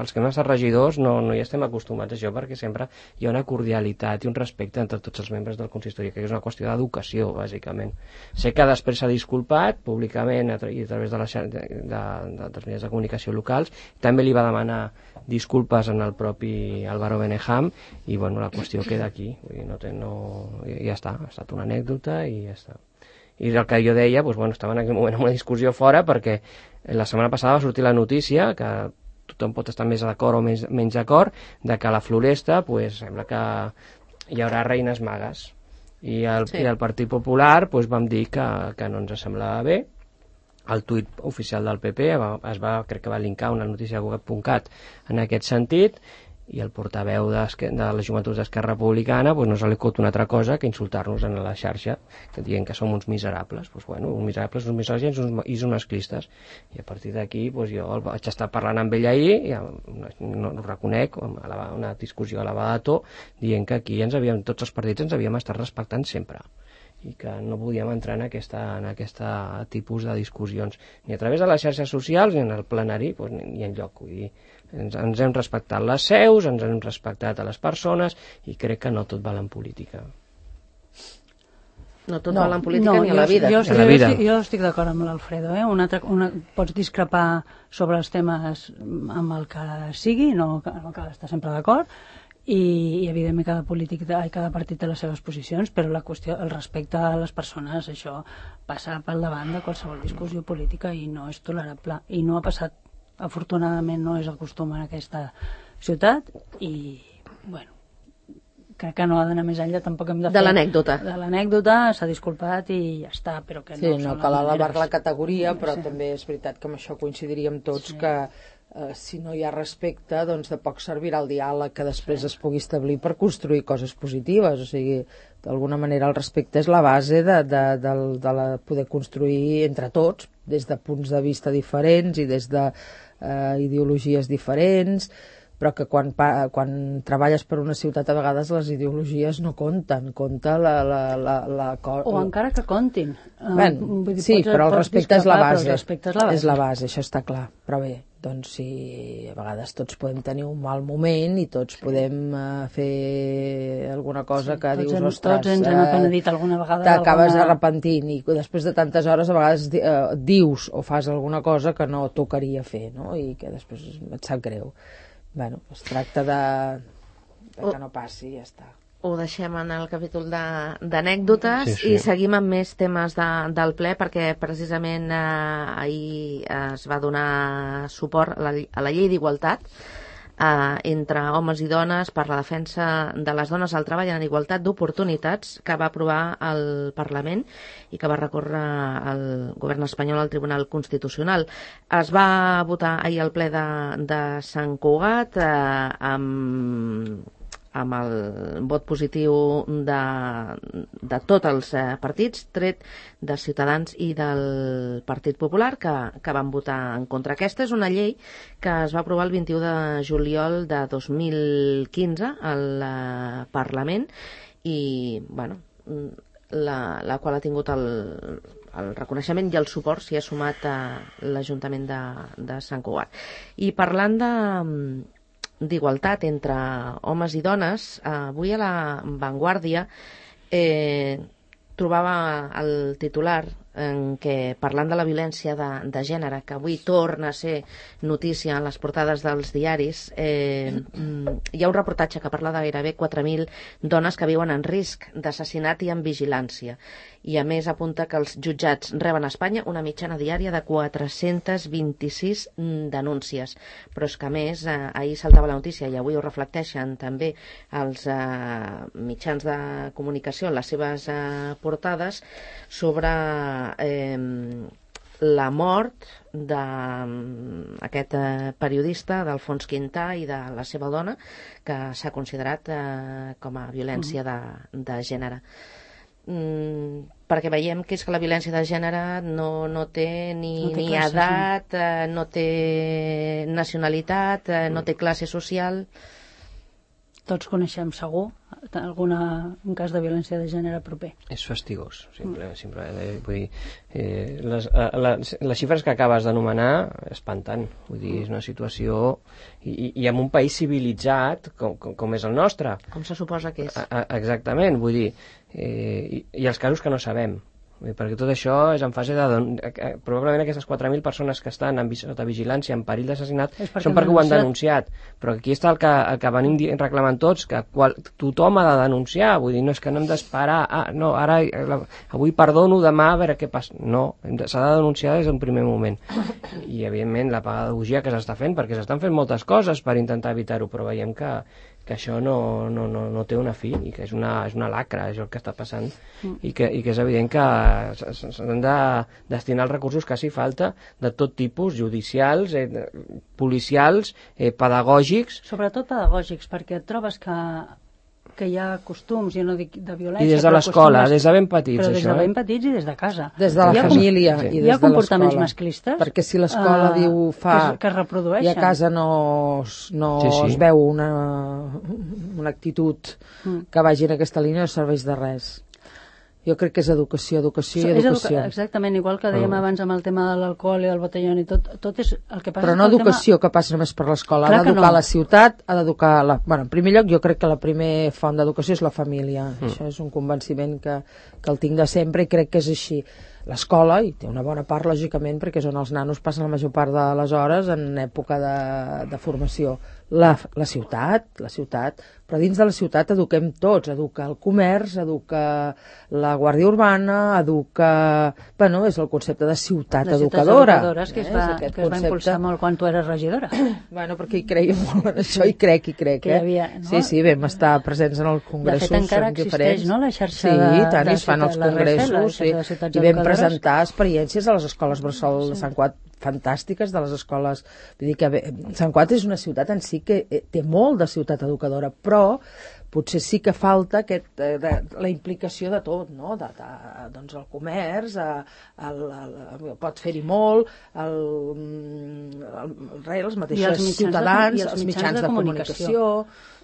Els que hem estat regidors no, no hi estem acostumats a això, perquè sempre hi ha una cordialitat i un respecte entre tots els membres del consistori, que és una qüestió d'educació, bàsicament. Sé que després s'ha disculpat públicament a tra i a través de, la, de, de, de, dels mitjans de comunicació locals, també li va demanar disculpes en el propi Álvaro Benejam i bueno, la qüestió queda aquí, vull dir, no té, no, ja està, ha estat una anècdota i ja està. I el que jo deia, doncs, bueno, estava en aquell moment en una discussió fora perquè la setmana passada va sortir la notícia que tothom pot estar més d'acord o menys, menys d'acord, de que a la Floresta pues, sembla que hi haurà reines magues i el, Sí. i el Partit Popular pues, vam dir que, que no ens semblava bé. El tuit oficial del P P va, es va, crec que va linkar una notícia de web punt cat en aquest sentit, i el portaveu de, de les joventuts d'Esquerra Republicana pues, no se li acut una altra cosa que insultar-nos en la xarxa, que dient que som uns miserables. Pues, bueno, uns miserables, uns misògins uns, i uns masclistes. I a partir d'aquí pues, jo el vaig estar parlant amb ell ahir, i no, no ho reconec, eleva, una discussió elevada de to, dient que aquí ens havíem, tots els partits ens havíem estat respectant sempre, i que no podíem entrar en aquesta, en aquesta tipus de discussions ni a través de les xarxes socials ni en el plenari, doncs, ni, ni enlloc. Vull dir, ens, ens hem respectat les seus, ens hem respectat a les persones i crec que no tot val en política. No tot No, val en política no, ni a la jo- vida. Jo, A estic, la vida. jo, estic, jo estic d'acord amb l'Alfredo. Eh? Una altra, una, pots discrepar sobre els temes amb el que sigui, no no cal estar sempre d'acord, i, i evidentment cada polític i cada partit té les seves posicions, però la qüestió, el respecte a les persones, això passa pel davant de qualsevol discussió política i no és tolerable, i no ha passat, afortunadament no és el costum en aquesta ciutat, i bueno, crec que no ha d'anar més enllà, tampoc hem de fer... De l'anècdota. De l'anècdota, s'ha disculpat i ja està, però que Sí, no, no són les cal elevar maneres. la categoria, però Sí. també és veritat que amb això coincidiríem tots Sí. que eh, si no hi ha respecte, doncs de poc servirà el diàleg que després es pugui establir per construir coses positives. O sigui, d'alguna manera el respecte és la base de, de, de, de la, poder construir entre tots, des de punts de vista diferents i des de eh, ideologies diferents, però que quan, pa, quan treballes per una ciutat a vegades les ideologies no compten, compta la... la, la, la O encara que comptin. Eh, Bueno, vull dir, sí, pots- però el pots respecte és la discrepar, però base. el respecte és la base. És la base, això està clar. Però bé, doncs si a vegades tots podem tenir un mal moment i tots podem uh, fer alguna cosa que tots dius, hem, ostres... tots ens hem eh, apenedit alguna vegada. T'acabes alguna... arrepentint i després de tantes hores a vegades eh, dius o fas alguna cosa que no tocaria fer, no? I que després et sap greu. Bueno, es tracta de, de que no passi i ja està. Ho deixem en el capítol de- d'anècdotes Sí, sí. i seguim amb més temes de, del ple perquè precisament eh, ahir es va donar suport a la, a la llei d'igualtat eh, entre homes i dones per la defensa de les dones al treball en igualtat d'oportunitats que va aprovar el Parlament i que va recórrer el govern espanyol al Tribunal Constitucional. Es va votar ahir al ple de, de Sant Cugat eh, amb amb el vot positiu de, de tots els eh, partits, tret de Ciutadans i del Partit Popular, que, que van votar en contra. Aquesta és una llei que es va aprovar el vint-i-u de juliol de dos mil quinze al eh, Parlament i, bueno, la, la qual ha tingut el, el reconeixement i el suport s'hi ha sumat a l'Ajuntament de, de Sant Cugat. I parlant de d'igualtat entre homes i dones, avui a la Vanguardia eh, trobava el titular en què, parlant de la violència de, de gènere, que avui torna a ser notícia en les portades dels diaris, eh, hi ha un reportatge que parla de gairebé quatre mil dones que viuen en risc d'assassinat i en vigilància. I a més apunta que els jutjats reben a Espanya una mitjana diària de quatre-cents vint-i-sis denúncies. Però és que a més, eh, ahir saltava la notícia i avui ho reflecteixen també els eh, mitjans de comunicació en les seves eh, portades sobre eh, la mort d'aquest eh, periodista, d'Alfons Quintà, i de la seva dona, que s'ha considerat eh, com a violència de, de gènere. Mm, perquè veiem que és que la violència de gènere no, no té ni, no té ni classes, edat, eh, no té nacionalitat, eh, no té classe social. Tots coneixem segur alguna, un cas de violència de gènere proper. És fastigós, simple, mm. simple, eh, vull dir, eh, les, eh, les, les xifres que acabes d'anomenar espanten, vull dir, és una situació i, i en un país civilitzat com, com, com és el nostre. Com se suposa que és. A, a, exactament, vull dir, eh, i, i els casos que no sabem. Perquè tot això és en fase de... Probablement aquestes quatre mil persones que estan en sota vigilància, en perill d'assassinat, són perquè ho han denunciat. Però aquí està el que, el que venim reclamant tots, que qual, tothom ha de denunciar. Vull dir, no és que no hem d'esperar... Ah, no, ara, avui perdono, demà, a veure què passa. No, s'ha de denunciar des d'un primer moment. I, evidentment, la pedagogia que s'està fent, perquè s'estan fent moltes coses per intentar evitar-ho, però veiem que... que això no, no, no, no té una fi i que és una, és una lacra, és el que està passant mm. i, que, i que és evident que s'han de destinar els recursos que s'hi falta de tot tipus, judicials, eh, policials, eh, pedagògics. Sobretot pedagògics, perquè et trobes que que hi ha costums, jo no dic de violència... I des de l'escola, des de ben petits, però això. Però des de ben petits i des de casa. Des de la hi família com... i des de l'escola. Hi ha comportaments masclistes. Perquè si l'escola uh, diu fa... Que, que es reprodueixen. I a casa no, no sí, sí. es veu una, una actitud mm. que vagi en aquesta línia, no serveix de res. Jo crec que és educació, educació i educació. Educa exactament, igual que dèiem oh. abans amb el tema de l'alcohol i el botellón i tot, tot és el que passa... Però no educació tema... que passa només per l'escola, ha d'educar no. la ciutat, ha d'educar... La... Bueno, en primer lloc, jo crec que la primera font d'educació és la família. Mm. Això és un convenciment que, que el tinc de sempre i crec que és així. L'escola, i té una bona part, lògicament, perquè és on els nanos passen la major part de les hores en època de, de formació. La, la ciutat, la ciutat, però dins de la ciutat eduquem tots, educa el comerç, educa la Guàrdia Urbana, educa... Bueno, és el concepte de ciutat les educadora. Educadores, que, es va, que concepte... es va impulsar molt quan tu eres regidora. Bueno, perquè hi creia molt en això, i crec, i crec, eh? Havia, no? Sí, sí, vam estar presents en els congressos. De fet, encara existeix, no?, la xarxa de... Sí, tant, i es fan els congressos, sí, i vam presentar experiències a les escoles Bressol de Sant Cugat fantàstiques, de les escoles... Vull dir que bé, Sant Cugat és una ciutat en si que té molt de ciutat educadora, però potser sí que falta aquest, de, de, la implicació de tot, no? De, de, doncs el comerç, el, el, el, pot fer-hi molt, el, el, el, els mateixos ciutadans, de, els, els mitjans de, de comunicació...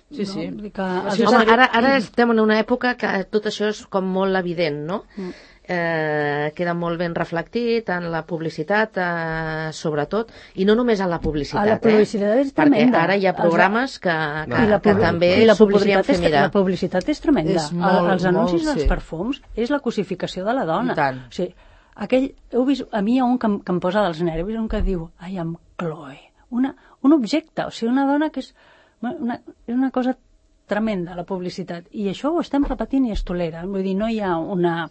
Sí, sí. No? Que... Home, ara, ara estem en una època que tot això és com molt evident, no? Mm. Eh, queda molt ben reflectit en la publicitat, eh, sobretot, i no només en la publicitat, a la publicitat eh? és tremenda. Perquè ara hi ha programes que, que, no. que també s'ho podrien fer mirar. La publicitat és tremenda. És molt, els anuncis molt, dels sí. perfums és la cosificació de la dona. I tant. O sigui, aquell, heu vist, a mi hi ha un que, que em posa dels nervis, un que diu, ai, amb Chloe, una, un objecte, o sigui, una dona que és una, és una cosa tremenda, la publicitat, i això ho estem repetint i es tolera, vull dir, no hi ha una,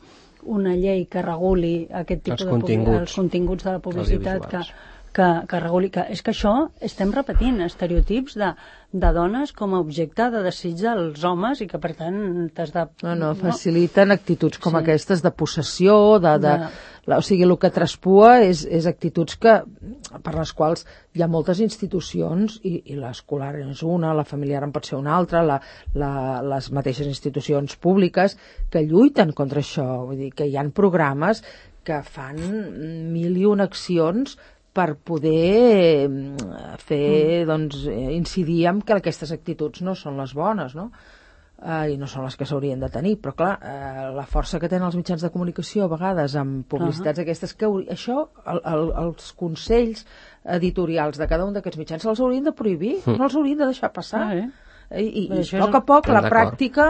una llei que reguli aquest tipus els de continguts, els continguts de la publicitat que, que, que reguli, que és que això estem repetint estereotips de, de dones com a objecte de desig dels homes i que per tant t'has de... No, no, faciliten actituds com sí. aquestes de possessió, de... de... de la, o sigui, el que traspua és, és actituds que, per les quals hi ha moltes institucions, i, i l'escolar és una, la familiar en pot ser una altra, la, la, les mateixes institucions públiques que lluiten contra això, vull dir que hi ha programes que fan mil i una accions per poder fer, doncs, incidir en que aquestes actituds no són les bones, no? Uh, i no són les que s'haurien de tenir, però clar, uh, la força que tenen els mitjans de comunicació a vegades amb publicitats uh -huh. aquestes, que això, el, el, els consells editorials de cada un d'aquests mitjans se'ls haurien de prohibir, mm. no els haurien de deixar passar. Ah, eh? I, i a poc a poc la pràctica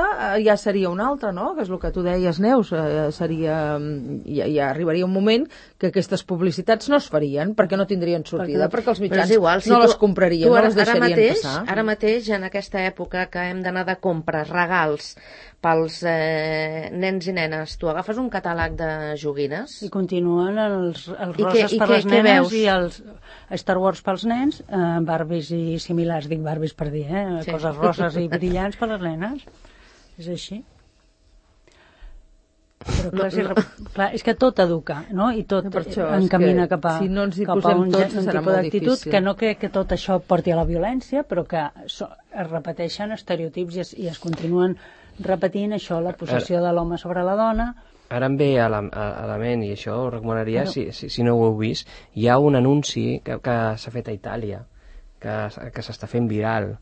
ja seria una altra, no? Que és el que tu deies, Neus, eh, seria, ja, ja arribaria un moment que aquestes publicitats no es farien perquè no tindrien sortida, perquè, perquè els mitjans igual, si no tu, les comprarien, no les deixarien ara mateix, passar. Ara mateix, en aquesta època que hem d'anar de compres, regals pels eh, nens i nenes, tu agafes un catàleg de joguines i continuen els, els roses que, per les nenes i els Star Wars pels nens, eh, Barbies i similars, dic Barbies per dir, eh? Sí. Coses roses i brillants per les nenes. És així. Però clar, no, no. Si, clar, és que tot educa, no? I tot no, encamina cap a, si no ens hi cap a un, tots, un tipus d'actitud que no crec que tot això porti a la violència, però que so, es repeteixen estereotips i es, i es continuen repetint això, la possessió de l'home sobre la dona. Ara em ve a la, a, a la ment, i això ho recomanaria, però... si, si, si no ho heu vist, hi ha un anunci que, que s'ha fet a Itàlia, que, que s'està fent viral,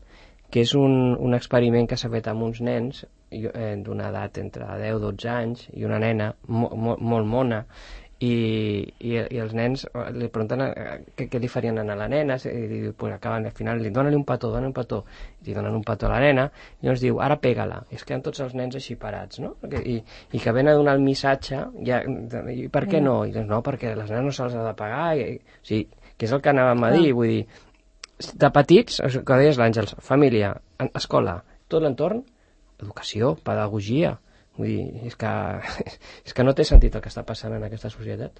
que és un, un experiment que s'ha fet amb uns nens eh, d'una edat entre deu i dotze anys i una nena mo, mo, molt mona, i, i, i els nens li pregunten què, què li farien a la nena, i pues, acaben, al final li donen un petó, donen un petó, i li donen un petó a la nena, i llavors diu, ara pega-la, i es queden tots els nens així parats, no? I, i que ven a donar el missatge, ja, i per què no? I doncs no, perquè les nenes no se'ls ha de pagar, i, o sigui, que és el que anàvem a dir, vull dir, de petits, que deies l'Àngels, família, escola, tot l'entorn, educació, pedagogia. Vull dir, és que, és que no té sentit el que està passant en aquesta societat.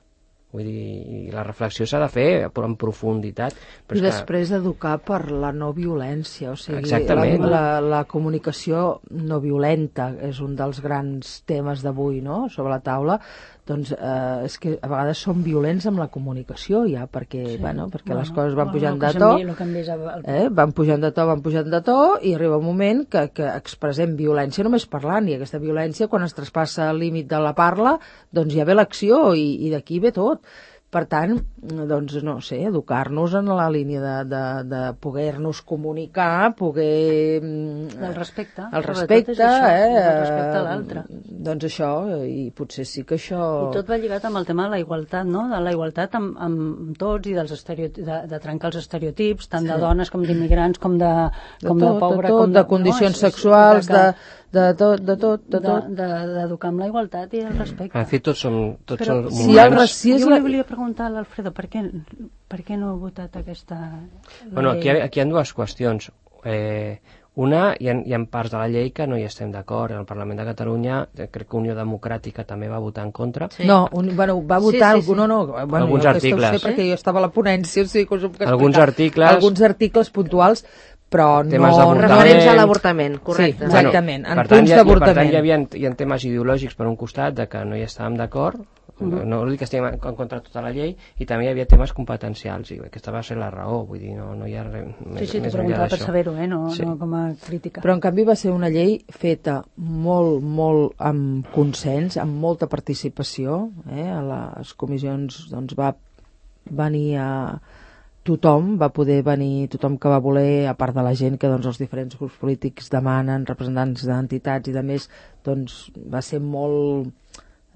Vull dir, la reflexió s'ha de fer en profunditat. Però I després que... educar per la no violència, o sigui, la, la, la comunicació no violenta és un dels grans temes d'avui, no?, sobre la taula. Doncs eh, és que a vegades som violents amb la comunicació ja, perquè, sí. bueno, perquè bueno, les coses van bueno, pujant de to, eh, van pujant de to, van pujant de to, i arriba un moment que, que expressem violència només parlant, i aquesta violència, quan es traspassa el límit de la parla, doncs ja ve l'acció, i, i d'aquí ve tot. Per tant, doncs, no sé, educar-nos en la línia de, de, de poder-nos comunicar, poder... El respecte. El respecte, això, eh? El respecte a l'altre. Doncs això, i potser sí que això... I tot va lligat amb el tema de la igualtat, no? De la igualtat amb, amb tots, i dels estereotips, de, de trencar els estereotips, tant sí. de dones com d'immigrants, com de, com de, tot, de pobre... De tot, com de, de condicions no? sexuals, de... de tot, de tot, de tot. D'educar amb la igualtat i el respecte. En fi, tots som, tots Però, som si humans. Racisme... Jo li volia preguntar a l'Alfredo, per què, per què no ha votat aquesta llei? Bueno, aquí, aquí hi ha dues qüestions. Eh, una, hi ha, hi ha parts de la llei que no hi estem d'acord. En el Parlament de Catalunya, crec que Unió Democràtica també va votar en contra. Sí. No, un, bueno, va votar sí, sí, sí. no, no, bueno, alguns articles. Sé perquè jo estava a la ponència, o sigui, que us ho puc alguns articles, alguns articles puntuals, però temes no... referents a l'avortament, correcte. Sí, exactament, bueno, en punts d'avortament. Per tant, hi havia, hi ha temes ideològics per un costat, de que no hi estàvem d'acord, uh -huh. no dic que estiguem en contra de tota la llei, i també hi havia temes competencials, i aquesta va ser la raó, vull dir, no, no hi ha res més, sí, sí, més enllà d'això. Sí, sí, t'ho preguntava per saber-ho, eh? no, sí. no com a crítica. Però en canvi va ser una llei feta molt, molt amb consens, amb molta participació, eh? A les comissions doncs va venir a... tothom va poder venir, tothom que va voler, a part de la gent que doncs, els diferents grups polítics demanen, representants d'entitats i de més, doncs va ser molt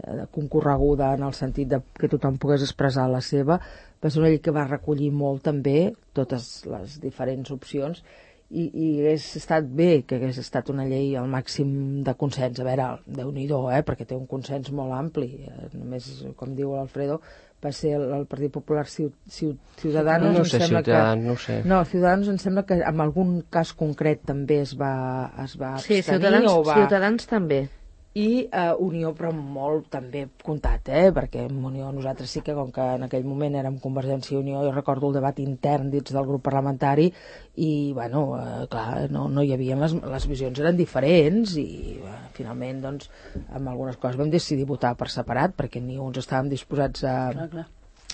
eh, concorreguda en el sentit de que tothom pogués expressar la seva. Va ser una llei que va recollir molt també totes les diferents opcions, i, i hagués estat bé que hagués estat una llei al màxim de consens. A veure, Déu-n'hi-do, eh, perquè té un consens molt ampli. Eh, només, com diu l'Alfredo, va ser el, el Partit Popular Ciudadanos. No, no sé, Ciutadans, que, no sé. No, Ciudadanos em sembla que en algun cas concret també es va, es va abstenir. Sí, Ciutadans, o va... Ciutadans també. i eh, Unió, però molt també comptat, eh? Perquè en Unió nosaltres sí que, com que en aquell moment érem Convergència i Unió, jo recordo el debat intern dins del grup parlamentari i, bueno, eh, clar, no, no hi havia, les, les visions eren diferents i eh, finalment, doncs, amb algunes coses vam decidir votar per separat perquè ni uns estàvem disposats a... Clar, clar.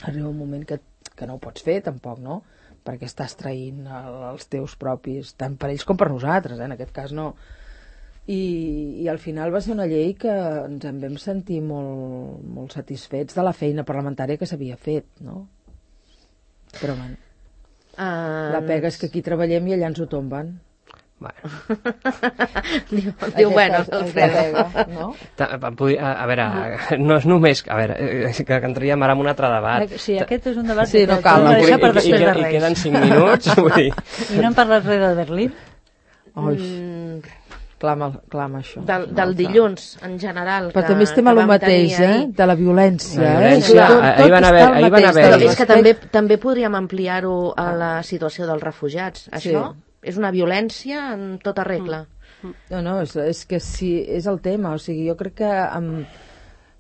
Arriba un moment que, que no ho pots fer, tampoc, no? Perquè estàs traint el, els teus propis, tant per ells com per nosaltres, eh? En aquest cas no... I, i al final va ser una llei que ens en vam sentir molt, molt satisfets de la feina parlamentària que s'havia fet, no? Però, bueno, Uh, la pega és que aquí treballem i allà ens ho tomben. Bueno. diu, diu bueno, Alfredo. Pega, no? Ta- a, a, a veure, no és només... A veure, eh, que entraríem ara en un altre debat. Sí, aquest és un debat Sí, que no cal, que no, deixar I, per i, i, després de i Reis. queden cinc minuts, vull dir... I no hem parlat res de Berlín? Oi, Mm, clama, clama això. del, del dilluns, en general. Però que, també estem que a lo vam mateix, tenir eh? ahir. De la violència. La eh? violència, Tot- ahir tot van està haver- al ahir van mateix, haver- del Però és que respecte. també, també podríem ampliar-ho a la situació dels refugiats. Això és una violència en tota regla. No, no, és, és que sí, és el tema. O sigui, jo crec que amb,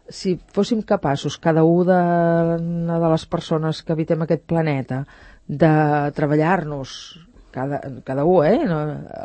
si fóssim capaços, cada un de, de les persones que habitem aquest planeta, de treballar-nos, cada, cada un, eh? No,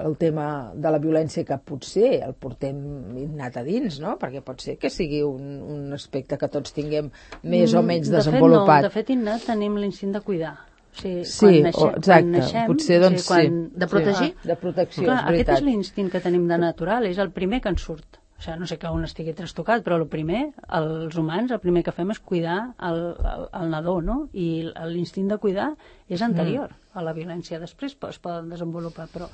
el tema de la violència que potser el portem innat a dins, no? Perquè pot ser que sigui un, un aspecte que tots tinguem més o menys Mm, de desenvolupat. Fet, no, de fet, innat tenim l'instint de cuidar. O sigui, Sí, quan o- naixem, exacte. quan naixem, Potser, doncs, o sigui, quan... sí. De protegir? Ah, de protecció, Clar, és aquest veritat. és l'instint que tenim de natural, és el primer que ens surt. O sigui, no sé que un estigui trastocat, però el primer, els humans, el primer que fem és cuidar el, el, el nadó, no? I l'instint de cuidar és anterior Mm. a la violència. Després es poden desenvolupar, però...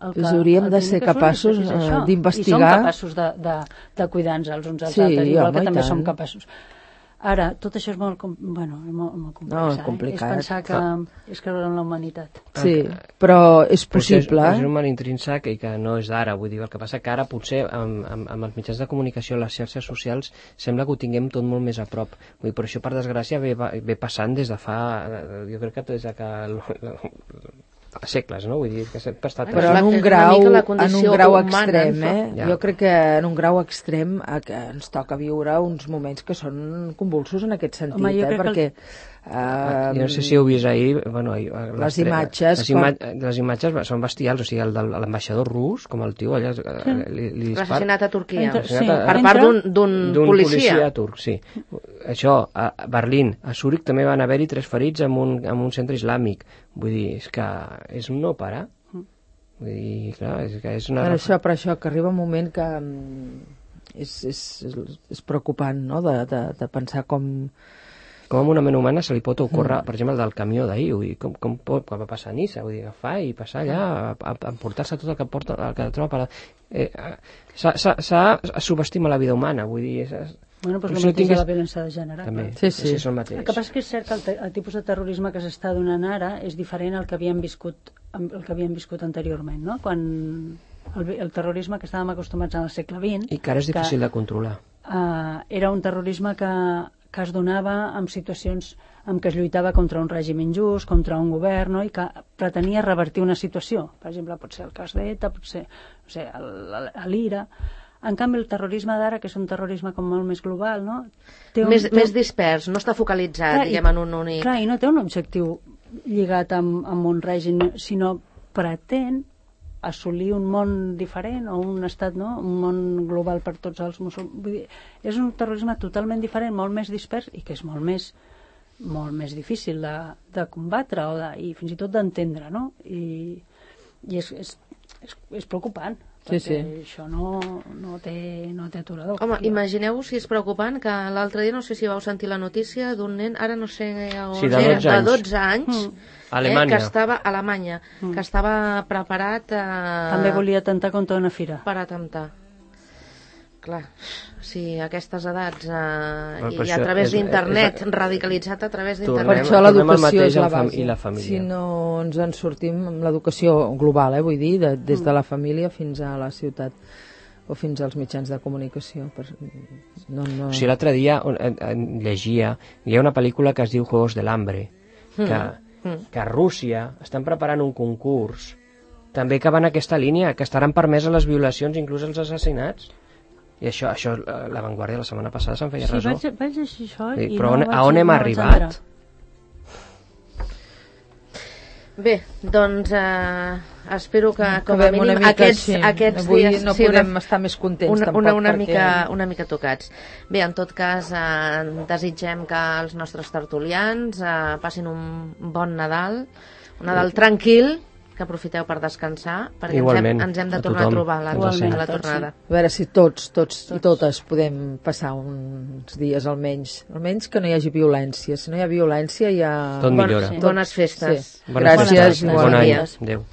El Doncs hauríem el de primer ser que surt capaços, és eh, això. d'investigar. I som capaços de, de, de cuidar-nos els uns als Sí, altres, igual home, que i també tant. som capaços. Ara, tot això és molt, com- bueno, és molt, molt complex, No, és eh? complicat. És pensar que és creure en la humanitat. Sí, però és possible. Però és, és un mal intrínsec i que no és d'ara, vull dir, el que passa que ara potser amb, amb, amb els mitjans de comunicació, les xarxes socials, sembla que ho tinguem tot molt més a prop. Vull dir, però això, per desgràcia, ve, ve passant des de fa... Jo crec que des de que... Fa segles, no? Vull dir, que sempre ha estat... Però És en la- un és una grau, mica la en un condició grau humana, extrem, no? eh? Ja. Jo crec que en un grau extrem eh, que ens toca viure uns moments que són convulsos en aquest sentit, Home, jo eh? crec que Perquè... Ah, Eh, jo no sé si heu vist ahir, bueno, ahir, Les imatges, les, ima les imatges són bestials, o sigui, el de l'ambaixador rus, com el tio allà, sí. li, li dispara... L'assassinat a Turquia. Entra- sí, Per entra- part d'un- d'un d'un policia. policia turc, sí. Això, a Berlín, a Zúrich també van haver-hi tres ferits en un, en un centre islàmic. Vull dir, és que és un no parar. Vull dir, clar, és que és una... Per això, per això, que arriba un moment que mm, és, és, és, és preocupant, no?, de, de, de pensar com... Com a una ment humana se li pot ocórrer, mm. per exemple, el del camió d'ahir, vull dir, com, com pot, quan va passar a Niça, vull dir, agafar i passar allà, a, a, a emportar-se tot el que porta, el que troba per... Eh, s'ha subestima la vida humana, vull dir... És, és, Bueno, però per és el això mateix de tingués- la violència de gènere. també, clar. Sí, sí. és el mateix. El que passa és que és cert que el, te- el tipus de terrorisme que s'està donant ara és diferent al que havíem viscut, el que havíem viscut anteriorment, no? Quan el, el terrorisme que estàvem acostumats al segle vint... I que ara és difícil de controlar. Uh, era un terrorisme que, que es donava en situacions en què es lluitava contra un règim injust, contra un govern, no? I que pretenia revertir una situació. Per exemple, pot ser el cas d'ETA, pot ser, no sé, l'Ira... En canvi, el terrorisme d'ara, que és un terrorisme com molt més global, no? Té un, Més, té... més dispers, no està focalitzat, Clar, i- diguem, en un únic... Clar, i no té un objectiu lligat amb, amb un règim, sinó pretén assolir un món diferent o un estat, no? Un món global per tots els musulmans. Vull dir, és un terrorisme totalment diferent, molt més dispers i que és molt més molt més difícil de, de combatre o de, i fins i tot d'entendre, no? I, i és, és, és, és preocupant. Sí, Perquè sí. això no, no, té, no té aturador. Home, imagineu-vos si és preocupant que l'altre dia, no sé si vau sentir la notícia d'un nen, ara no sé on Sí, de era, dotze anys. de dotze anys, Mm. Alemanya. Eh, que estava a Alemanya, Mm. que estava preparat eh, També volia atemptar contra una fira. per atemptar. Clar, si a aquestes edats eh, Bueno, i, però i a això través és- d'internet, és- radicalitzat a través Tornem- Per d'internet. això tornem al l'educació mateix és la amb fam- base. i la família. Si no ens en sortim amb l'educació global, eh, vull dir, de, des Mm. de la família fins a la ciutat o fins als mitjans de comunicació. Per... No, no... O sigui, l'altre dia on- en- en llegia, hi ha una pel·lícula que es diu Juegos del Hambre, que, Mm. que a Rússia estan preparant un concurs també que va en aquesta línia, que estaran permeses les violacions, inclús els assassinats. I això, això La Vanguardia la setmana passada se'n feia sí, ressò. vaig, vaig llegir això Sí, i però no on, vaig, a on hem no vaig arribat? entrar. Bé, doncs eh, espero que com a Acabem una mínim mica aquests, així. aquests Avui dies no sí, podem una, estar més contents una, tampoc una, una, perquè... mica, una mica tocats. Bé, en tot cas eh, desitgem que els nostres tertulians eh, passin un bon Nadal, un Nadal tranquil, que aprofiteu per descansar, perquè ens hem, Igualment, ens hem de a tornar a tothom. trobar la, Igualment, a la a tots, tornada. A veure si tots, tots, tots i totes podem passar uns dies almenys. Almenys que no hi hagi violència. Si no hi ha violència hi ha... Tot Bon, millora. sí. Bones festes. Sí. Bones Gràcies, festes. Bon any. igualment. Adéu.